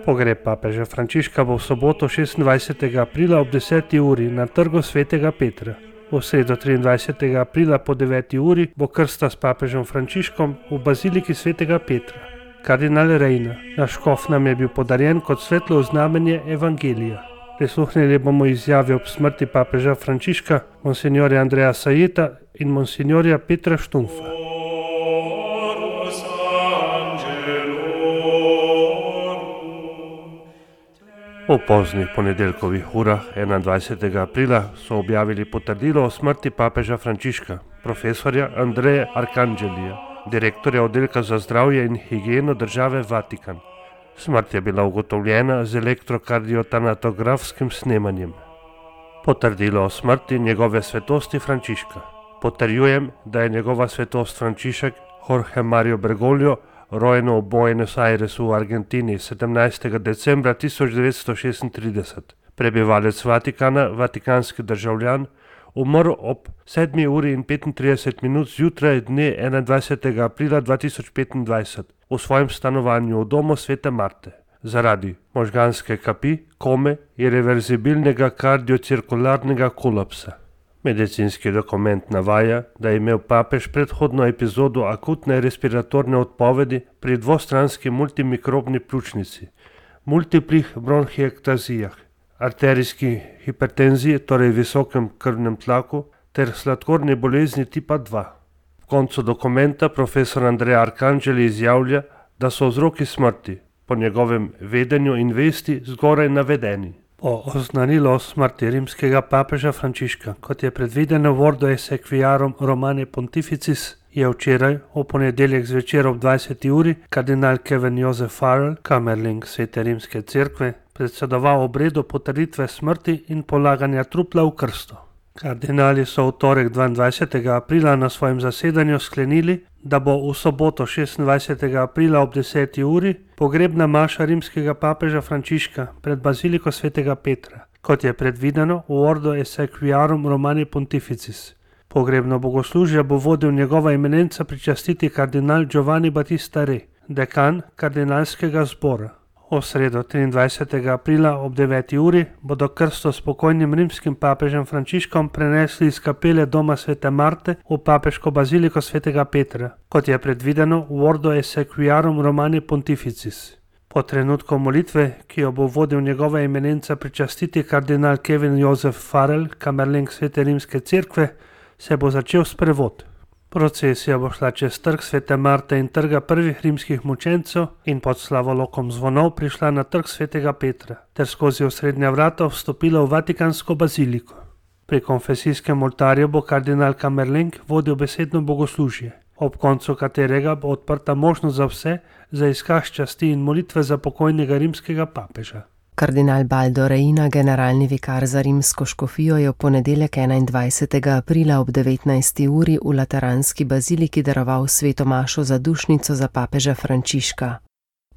Pogreb papeža Frančiška bo v soboto 26. aprila ob 10. uri na trgu svetega Petra. V sredo 23. aprila po 9. uri bo krsta s papežem Frančiškom v baziliki svetega Petra. Kardinal Reina, naš škof, nam je bil podarjen kot svetlo znamenje evangelija. Prisluhnili bomo izjave ob smrti papeža Frančiška, monsignorja Andreja Sajeta in monsignorja Petra Štumfa. V poznih ponedeljkovih urah 21. aprila so objavili potrdilo o smrti papeža Frančiška, profesorja Andreja Arkangelija, direktorja oddelka za zdravje in higieno države Vatikan. Smrt je bila ugotovljena z elektrokardiotanatografskim snemanjem. Potrdilo o smrti njegove svetosti Frančiška. Potrjujem, da je njegova svetost Frančišek Jorge Mario Bergoglio, rojen v Buenos Airesu v Argentini 17. decembra 1936, prebivalec Vatikana, vatikanski državljan, umrl ob 7. uri in 35 minut zjutraj dne 21. aprila 2025 v svojem stanovanju v domu Svete Marte zaradi možganske kapi, kome in reverzibilnega kardiocirkularnega kolapsa. Medicinski dokument navaja, da je imel papež predhodno epizodo akutne respiratorne odpovedi pri dvostranski multimikrobni pljučnici, multiplih bronhiektazijah, arterijski hipertenziji, torej visokem krvnem tlaku, ter sladkorni bolezni tipa 2. V koncu dokumenta profesor Andrej Arkangeli izjavlja, da so vzroki smrti, po njegovem vedenju in vesti, zgoraj navedeni. Po oznanilu o smrti rimskega papeža Frančiška, kot je predvideno v Ordo Essequiarum Romani Pontificis, je včeraj, v ponedeljek zvečer ob 20. uri, kardinal Kevin Joseph Farrell, kamerling Svete rimske cerkve, predsedoval obredu potrditve smrti in polaganja trupla v krsto. Kardinali so v torek 22. aprila na svojem zasedanju sklenili, da bo v soboto 26. aprila ob 10. uri pogrebna maša rimskega papeža Frančiška pred baziliko svetega Petra, kot je predvideno v Ordo Essequiarum Romani Pontificis. Pogrebno bogoslužje bo vodil njegova eminenca pričastiti kardinal Giovanni Battista Re, dekan kardinalskega zbora. V sredo 23. aprila ob 9. uri bodo krsto s pokojnim rimskim papežem Frančiškom prenesli iz kapele doma Svete Marte v papeško baziliko svetega Petra, kot je predvideno v Ordo Essequiarum Romani Pontificis. Po trenutku molitve, ki jo bo vodil njegova eminenca pričastiti kardinal Kevin Joseph Farrell, kamerling Svete rimske cerkve, se bo začel sprevod. Procesija bo šla čez trg Svete Marte in trga prvih rimskih mučencev in pod slavolokom zvonov prišla na trg Svetega Petra ter skozi osrednja vrata vstopila v Vatikansko baziliko. Pri konfesijskem oltarju bo kardinal Kamerleng vodil besedno bogoslužje, ob koncu katerega bo odprta možnost za vse za izkaz časti in molitve za pokojnega rimskega papeža. Kardinal Baldo Reina, generalni vikar za rimsko škofijo, je v ponedeljek 21. aprila ob 19. uri v Lateranski baziliki daroval sveto mašo za dušnico za papeža Frančiška.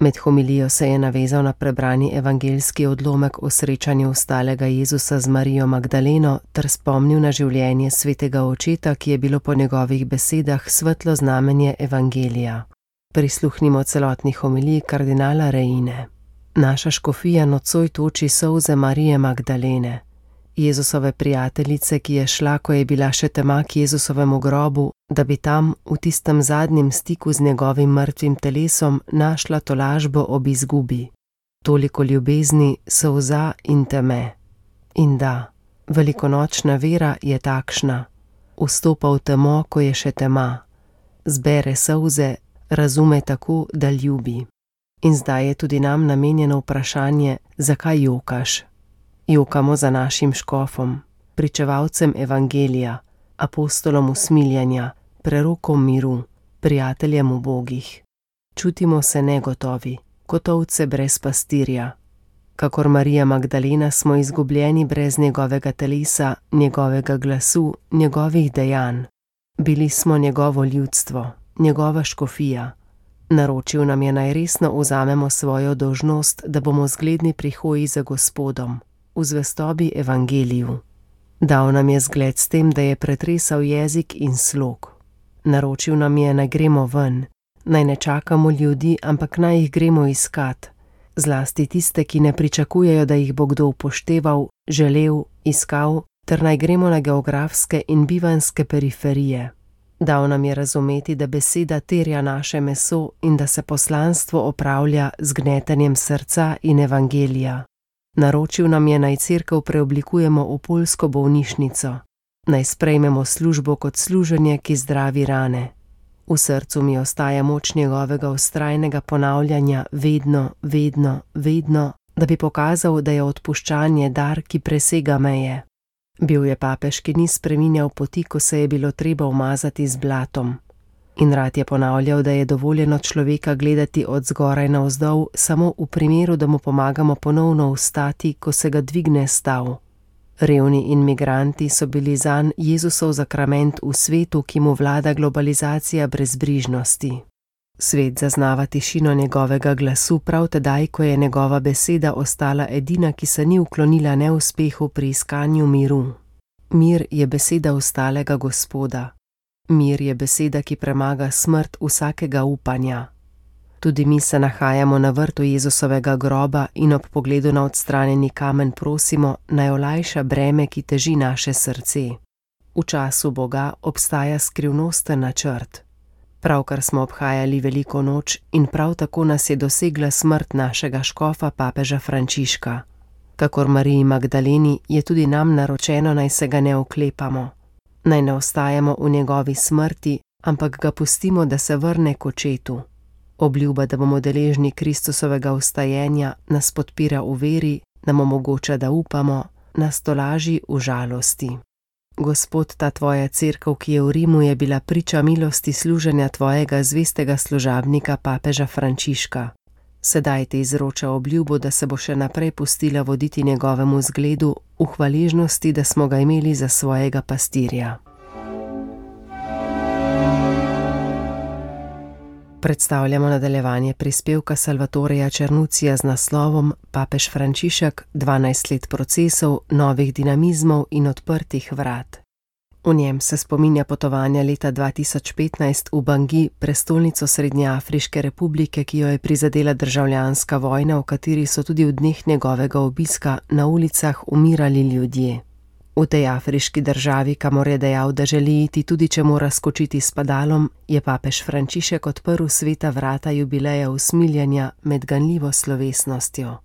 Med homilijo se je navezal na prebrani evangeljski odlomek o srečanju ostalega Jezusa z Marijo Magdaleno ter spomnil na življenje svetega očeta, ki je bilo po njegovih besedah svetlo znamenje evangelija. Prisluhnimo celotni homiliji kardinala Reine. Naša škofija nocoj toči solze Marije Magdalene, Jezusove prijateljice, ki je šla, ko je bila še tema k Jezusovemu grobu, da bi tam, v tistem zadnjem stiku z njegovim mrtvim telesom, našla tolažbo ob izgubi. Toliko ljubezni, solza in teme. In da, velikonočna vera je takšna. Vstopa v temo, ko je še tema. Zbere solze, razume tako, da ljubi. In zdaj je tudi nam namenjeno vprašanje, zakaj jokaš? Jokamo za našim škofom, pričevalcem evangelija, apostolom usmiljanja, prerokom miru, prijateljem ubogih. Čutimo se negotovi, kot ovce brez pastirja. Kakor Marija Magdalena smo izgubljeni brez njegovega telesa, njegovega glasu, njegovih dejanj. Bili smo njegovo ljudstvo, njegova škofija. Naročil nam je, naj resno vzamemo svojo dolžnost, da bomo zgledni pri hoji za Gospodom, v zvestobi evangeliju. Dal nam je zgled s tem, da je pretresal jezik in slog. Naročil nam je, naj gremo ven, naj ne čakamo ljudi, ampak naj jih gremo iskat, zlasti tiste, ki ne pričakujejo, da jih bo kdo upošteval, želel, iskal, ter naj gremo na geografske in bivanjske periferije. Dal nam je razumeti, da beseda terja naše meso in da se poslanstvo opravlja z gnetenjem srca in evangelija. Naročil nam je, naj cerkev preoblikujemo v poljsko bolnišnico, naj sprejmemo službo kot služenje, ki zdravi rane. V srcu mi ostaja moč njegovega vztrajnega ponavljanja vedno, vedno, vedno, da bi pokazal, da je odpuščanje dar, ki presega meje. Bil je papež, ki ni spreminjal poti, ko se je bilo treba umazati z blatom. In rad je ponavljal, da je dovoljeno človeka gledati od zgoraj navzdol samo v primeru, da mu pomagamo ponovno vstati, ko se ga dvigne stav. Revni in migranti so bili zanj Jezusov zakrament v svetu, ki mu vlada globalizacija brezbrižnosti. Svet zaznava tišino njegovega glasu prav tedaj, ko je njegova beseda ostala edina, ki se ni uklonila neuspehu pri iskanju miru. Mir je beseda ostalega Gospoda. Mir je beseda, ki premaga smrt vsakega upanja. Tudi mi se nahajamo na vrtu Jezusovega groba in ob pogledu na odstranjeni kamen prosimo, naj olajša breme, ki teži naše srce. V času Boga obstaja skrivnosten načrt. Pravkar smo obhajali veliko noč in prav tako nas je dosegla smrt našega škofa papeža Frančiška. Kakor Mariji Magdaleni je tudi nam naročeno, naj se ga ne oklepamo. Naj ne ostajamo v njegovi smrti, ampak ga pustimo, da se vrne k očetu. Obljuba, da bomo deležni Kristusovega vstajenja, nas podpira v veri, nam omogoča, da upamo, nas tolaži v žalosti. Gospod, ta tvoja cerkev, ki je v Rimu, je bila priča milosti služenja tvojega zvestega služabnika papeža Frančiška. Sedaj te izroča obljubo, da se bo še naprej pustila voditi njegovemu zgledu v hvaležnosti, da smo ga imeli za svojega pastirja. Predstavljamo nadaljevanje prispevka Salvatoreja Černucija z naslovom Papež Frančišek, 12 let procesov, novih dinamizmov in odprtih vrat. V njem se spominja potovanja leta 2015 v Bangui, prestolnico Srednjeafriške republike, ki jo je prizadela državljanska vojna, v kateri so tudi v dneh njegovega obiska na ulicah umirali ljudje. V tej afriški državi, kamor je dejal, da želi iti tudi če mora skočiti s padalom, je papež Frančišek odprl sveta vrata jubileja usmiljenja med ganljivo slovesnostjo.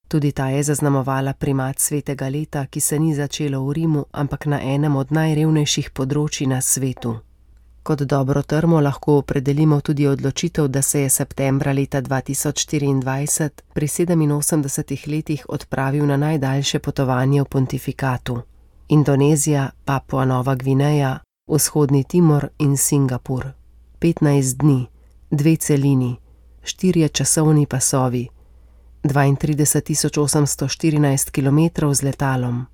Tudi ta je zaznamovala primat svetega leta, ki se ni začelo v Rimu, ampak na enem od najrevnejših področji na svetu. Kot dobro trmo lahko opredelimo tudi odločitev, da se je septembra leta 2024 pri 87 letih odpravil na najdaljše potovanje v pontifikatu. Indonezija, Papua Nova Gvineja, Vzhodni Timor in Singapur. 15 dni, 2 celini, 4 časovni pasovi, 32.814 km z letalom,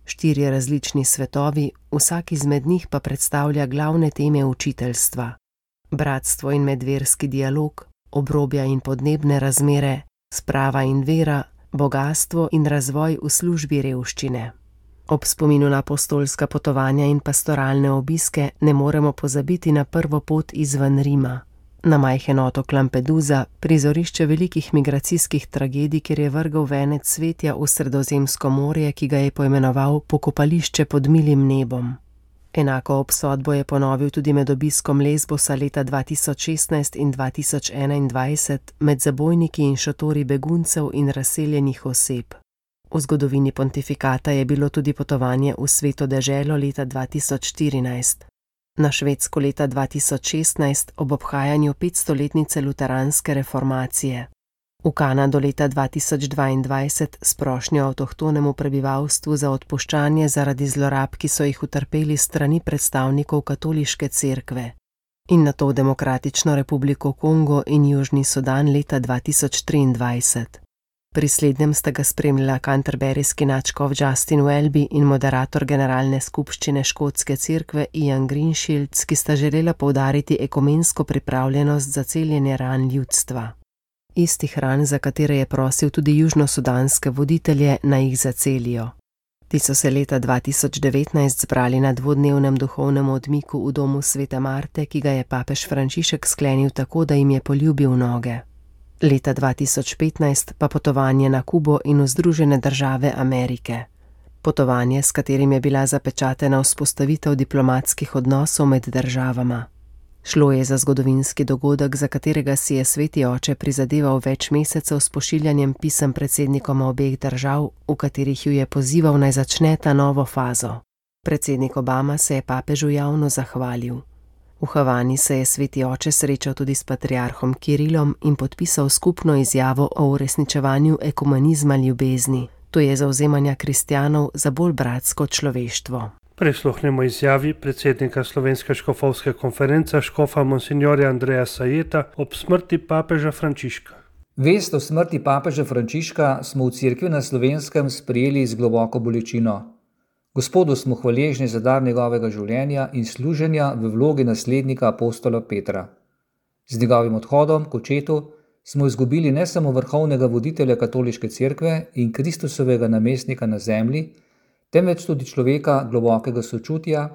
4 različni svetovi, vsak izmed njih pa predstavlja glavne teme učiteljstva. Bratstvo in medverski dialog, obrobja in podnebne razmere, sprava in vera, bogastvo in razvoj v službi revščine. Ob spominu na apostolska potovanja in pastoralne obiske ne moremo pozabiti na prvo pot izven Rima. Na majhen otok Lampedusa, prizorišče velikih migracijskih tragedij, kjer je vrgel venec svetja v Sredozemsko morje, ki ga je poimenoval pokopališče pod milim nebom. Enako obsodbo je ponovil tudi med obiskom Lesbosa leta 2016 in 2021 med zabojniki in šotori beguncev in razseljenih oseb. V zgodovini pontifikata je bilo tudi potovanje v Sveto deželo leta 2014. Na Švedsko leta 2016 ob obhajanju 500-letnice luteranske reformacije. V Kanado leta 2022 s prošnjo avtohtonemu prebivalstvu za odpuščanje zaradi zlorab, ki so jih utrpeli strani predstavnikov katoliške cerkve. In nato v Demokratično republiko Kongo in Južni Sudan leta 2023. Pri slednjem sta ga spremljala canterburyski nadškof Justin Welby in moderator generalne skupščine škotske cerkve Ian Greenshields, ki sta želela poudariti ekumensko pripravljenost za celjenje ran ljudstva. Istih ran, za katere je prosil tudi južnosudanske voditelje, naj jih zacelijo. Ti so se leta 2019 zbrali na dvodnevnem duhovnem odmiku v domu Svete Marte, ki ga je papež Frančišek sklenil tako, da jim je poljubil noge. leta 2015 pa potovanje na Kubo in v Združene države Amerike. Potovanje, s katerim je bila zapečatena vzpostavitev diplomatskih odnosov med državama. Šlo je za zgodovinski dogodek, za katerega si je sveti oče prizadeval več mesecev s pošiljanjem pisem predsednikoma obeh držav, v katerih ju je pozival naj začne ta novo fazo. Predsednik Obama se je papežu javno zahvalil. V Havani se je sveti oče srečal tudi s patriarhom Kirilom in podpisal skupno izjavo o uresničevanju ekumenizma ljubezni, to je zavzemanja kristjanov za bolj bratsko človeštvo. Prisluhnemo izjavi predsednika Slovenske škofovske konference škofa monsignorja Andreja Sajeta ob smrti papeža Frančiška. Vest o smrti papeža Frančiška smo v cerkvi na Slovenskem sprejeli z globoko bolečino. Gospodu smo hvaležni za dar njegovega življenja in služenja v vlogi naslednika apostola Petra. Z njegovim odhodom k očetu smo izgubili ne samo vrhovnega voditelja katoliške cerkve in Kristusovega namestnika na zemlji, temveč tudi človeka globokega sočutja,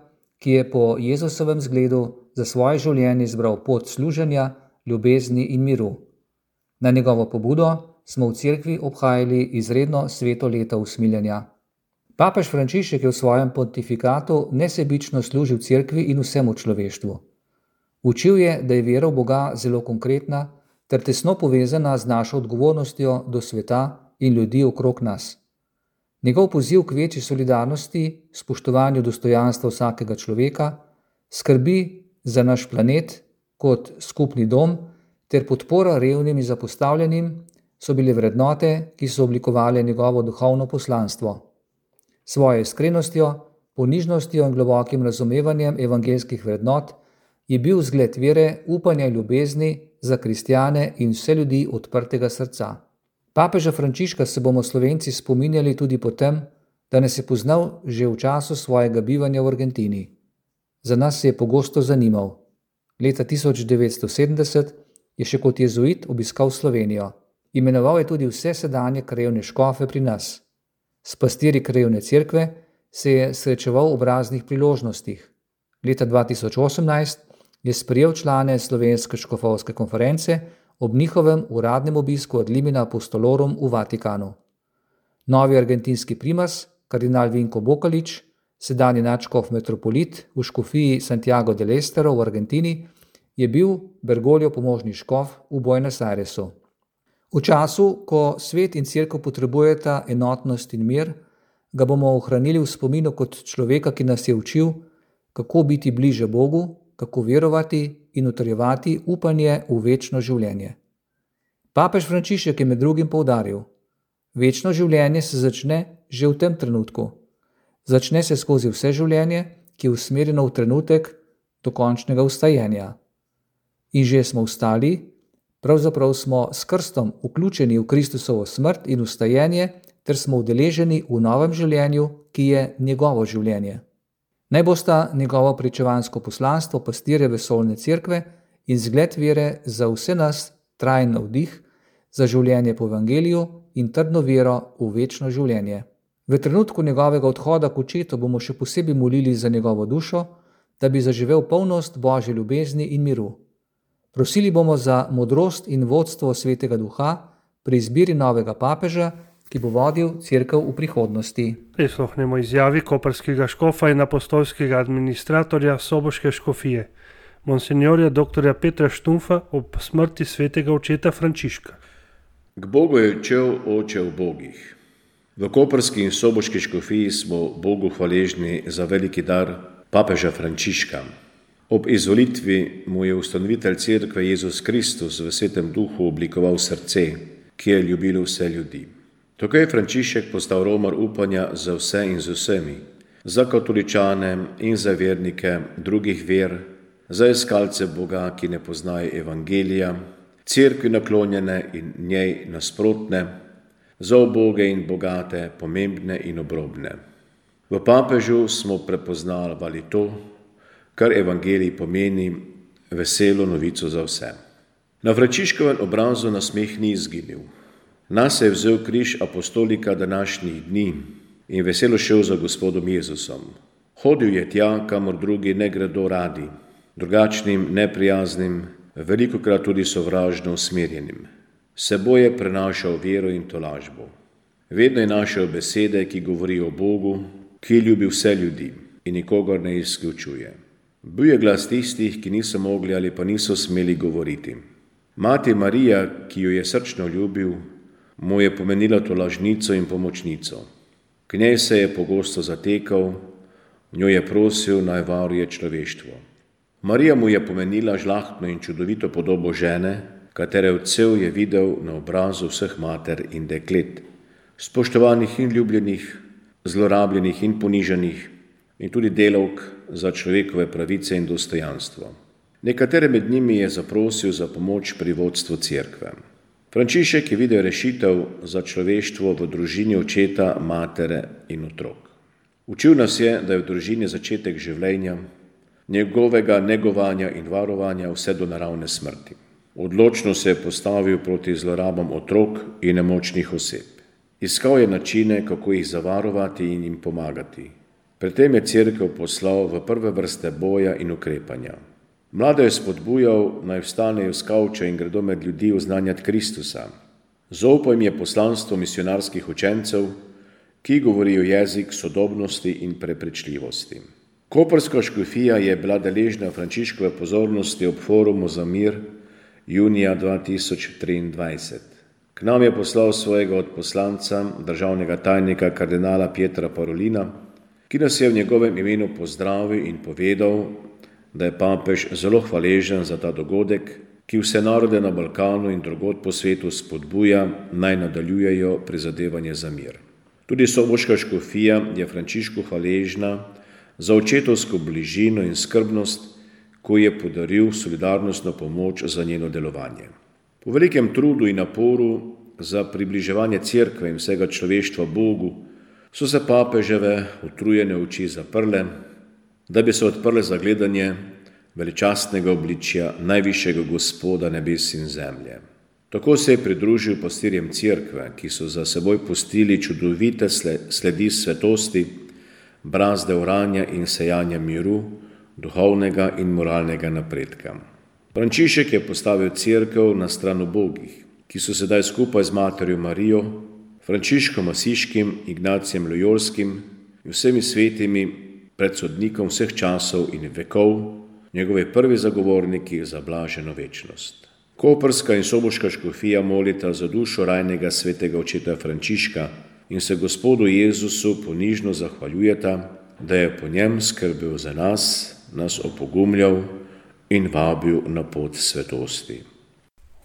ki je po Jezusovem zgledu za svoje življenje izbral pot služenja, ljubezni in miru. Na njegovo pobudo smo v cerkvi obhajali izredno sveto leto usmiljenja. Papež Frančišek je v svojem pontifikatu nesebično služil cerkvi in vsemu človeštvu. Učil je, da je vera v Boga zelo konkretna ter tesno povezana z našo odgovornostjo do sveta in ljudi okrog nas. Njegov poziv k večji solidarnosti, spoštovanju dostojanstva vsakega človeka, skrbi za naš planet kot skupni dom ter podpora revnim in zapostavljenim so bile vrednote, ki so oblikovale njegovo duhovno poslanstvo. Svojo iskrenostjo, ponižnostjo in globokim razumevanjem evangeljskih vrednot je bil zgled vere, upanja in ljubezni za kristjane in vse ljudi odprtega srca. Papeža Frančiška se bomo Slovenci spominjali tudi po tem, da nas je poznal že v času svojega bivanja v Argentini. Za nas se je pogosto zanimal. Leta 1970 je še kot jezuit obiskal Slovenijo. Imenoval je tudi vse sedanje krajevne škofe pri nas. S pastirji krajevne cerkve se je srečeval ob raznih priložnostih. Leta 2018 je sprejel člane Slovenske škofovske konference ob njihovem uradnem obisku ad limina apostolorum v Vatikanu. Novi argentinski primas, kardinal Vinko Bokalič, sedanji nadškof metropolit v škofiji Santiago del Estero v Argentini, je bil Bergoglio pomožni škof v Buenos Airesu. V času, ko svet in cerkev potrebujeta enotnost in mir, ga bomo ohranili v spominu kot človeka, ki nas je učil, kako biti bliže Bogu, kako verovati in utrjevati upanje v večno življenje. Papež Frančišek je med drugim poudaril: večno življenje se začne že v tem trenutku. Začne se skozi vse življenje, ki je usmerjeno v trenutek dokončnega vstajenja. In že smo vstali, pravzaprav smo s krstom vključeni v Kristusovo smrt in vstajenje, ter smo udeleženi v novem življenju, ki je njegovo življenje. Naj bosta njegovo pričevansko poslanstvo pastirja vesoljne cerkve in zgled vere za vse nas trajen navdih za življenje po evangeliju in trdno vero v večno življenje. V trenutku njegovega odhoda k očetu bomo še posebej molili za njegovo dušo, da bi zaživel polnost Božje ljubezni in miru. Prosili bomo za modrost in vodstvo Svetega Duha pri izbiri novega papeža, ki bo vodil cerkev v prihodnosti. Prisluhnemo izjavi koprskega škofa in apostolskega administratorja Soboške škofije, monsignorja dr. Petra Štumfa ob smrti svetega očeta Frančiška. K Bogu je odšel oče v bogih. V koprski in soboški škofiji smo Bogu hvaležni za veliki dar papeža Frančiška. Ob izvolitvi mu je ustanovitelj cerkve Jezus Kristus v Svetem Duhu oblikoval srce, ki je ljubilo vse ljudi. Tako je Frančišek postal romar upanja za vse in z vsemi, za katoličane in za vernike drugih ver, za iskalce Boga, ki ne poznajo evangelija, cerkvi naklonjene in njej nasprotne, za uboge in bogate, pomembne in obrobne. V papežu smo prepoznavali to, kar evangelij pomeni, veselo novico za vse. Na Frančiškovem obrazu nasmeh ni izginil. Nas je vzel križ apostolika današnjih dni in veselo šel za Gospodom Jezusom. Hodil je tja, kamor drugi ne gredo radi, drugačnim, neprijaznim, velikokrat tudi sovražno usmerjenim. Seboj je prenašal vero in tolažbo. Vedno je našel besede, ki govorijo o Bogu, ki ljubi vse ljudi in nikogar ne izključuje. Bil je glas tistih, ki niso mogli ali pa niso smeli govoriti. Mati Marija, ki jo je srčno ljubil, mu je pomenila tolažnico in pomočnico. K njej se je pogosto zatekal, njo je prosil, naj varuje človeštvo. Marija mu je pomenila žlahtno in čudovito podobo žene, katere odsev je videl na obrazu vseh mater in deklet, spoštovanih in ljubljenih, zlorabljenih in ponižanih, in tudi delavk za človekove pravice in dostojanstvo. Nekatere med njimi je zaprosil za pomoč pri vodstvu cerkve. Frančišek je videl rešitev za človeštvo v družini očeta, matere in otrok. Učil nas je, da je v družini začetek življenja, njegovega negovanja in varovanja vse do naravne smrti. Odločno se je postavil proti zlorabam otrok in nemočnih oseb. Iskal je načine, kako jih zavarovati in jim pomagati. Pri tem je cerkev poslal v prve vrste boja in ukrepanja. Mlade je spodbujal, naj vstanejo s kavča in gredo med ljudi oznanjati Kristusa. Zaupal jim je poslanstvo misionarskih učencev, ki govorijo jezik sodobnosti in prepričljivosti. Koprska škofija je bila deležna Frančiškove pozornosti ob forumu za mir junija 2023. K nam je poslal svojega odposlanca, državnega tajnika kardinala Pietra Parolina, ki nas je v njegovem imenu pozdravil in povedal, da je papež zelo hvaležen za ta dogodek, ki vse narode na Balkanu in drugod po svetu spodbuja, naj nadaljujejo prizadevanje za mir. Tudi soboška škofija je Frančišku hvaležna za očetovsko bližino in skrbnost, ko je podaril solidarnostno pomoč za njeno delovanje. Po velikem trudu in naporu za približevanje cerkve in vsega človeštva Bogu so se papeževe utrujene oči zaprle, da bi se odprle za gledanje veličastnega obličja najvišjega Gospoda nebes in zemlje. Tako se je pridružil pastirjem cerkve, ki so za seboj pustili čudovite sledi svetosti, brazde oranja in sejanja miru, duhovnega in moralnega napredka. Frančišek je postavil cerkev na stran ubogih, ki so sedaj skupaj z materjo Marijo, Frančiškom Asiškim, Ignacijem Lojolskim in vsemi svetimi pred sodnikom vseh časov in vekov, njegovi prvi zagovorniki za blaženo večnost. Koprska in soboška škofija molita za dušo rajnega svetega očeta Frančiška in se Gospodu Jezusu ponižno zahvaljujeta, da je po njem skrbel za nas opogumljal in vabil na pot svetosti.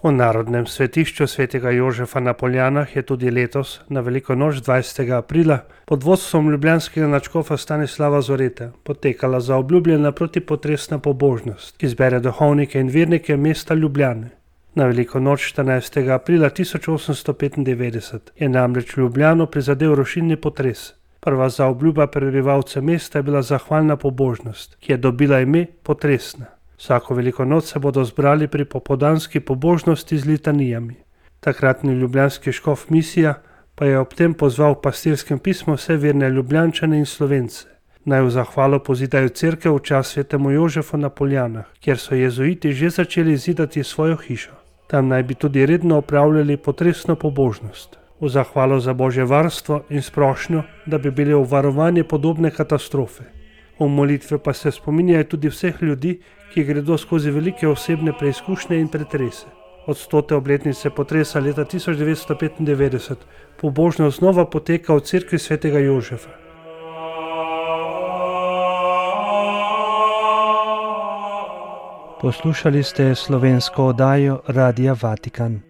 V Narodnem svetišču svetega Jožefa na Poljanah je tudi letos na veliko noč 20. aprila pod vodstvom ljubljanskega nadškofa Stanislava Zoreta potekala zaobljubljena protipotresna pobožnost, ki zbere duhovnike in vernike mesta Ljubljane. Na veliko noč 14. aprila 1895 je namreč Ljubljano prizadel rušilni potres. Prva zaobljuba prebivalcev mesta je bila zahvalna pobožnost, ki je dobila ime potresna. Vsako veliko noč se bodo zbrali pri popoldanski pobožnosti z litanijami. Takratni ljubljanski škof Misija pa je ob tem pozval v pastirskem pismu vse verne Ljubljančane in Slovence, naj v zahvalo pozidajo cerkev v čast svetemu Jožefu na Poljanah, kjer so jezuiti že začeli zidati svojo hišo. Tam naj bi tudi redno opravljali potresno pobožnost, v zahvalo za Božje varstvo in sprošnjo, da bi bili obvarovani podobne katastrofe. V molitve pa se spominjajo tudi vseh ljudi, ki gredo skozi velike osebne preizkušnje in pretrese. Od 100. obletnice potresa leta 1995 pobožnost znova poteka v cerkvi svetega Jožefa. Poslušali ste slovensko oddajo Radia Vatikan.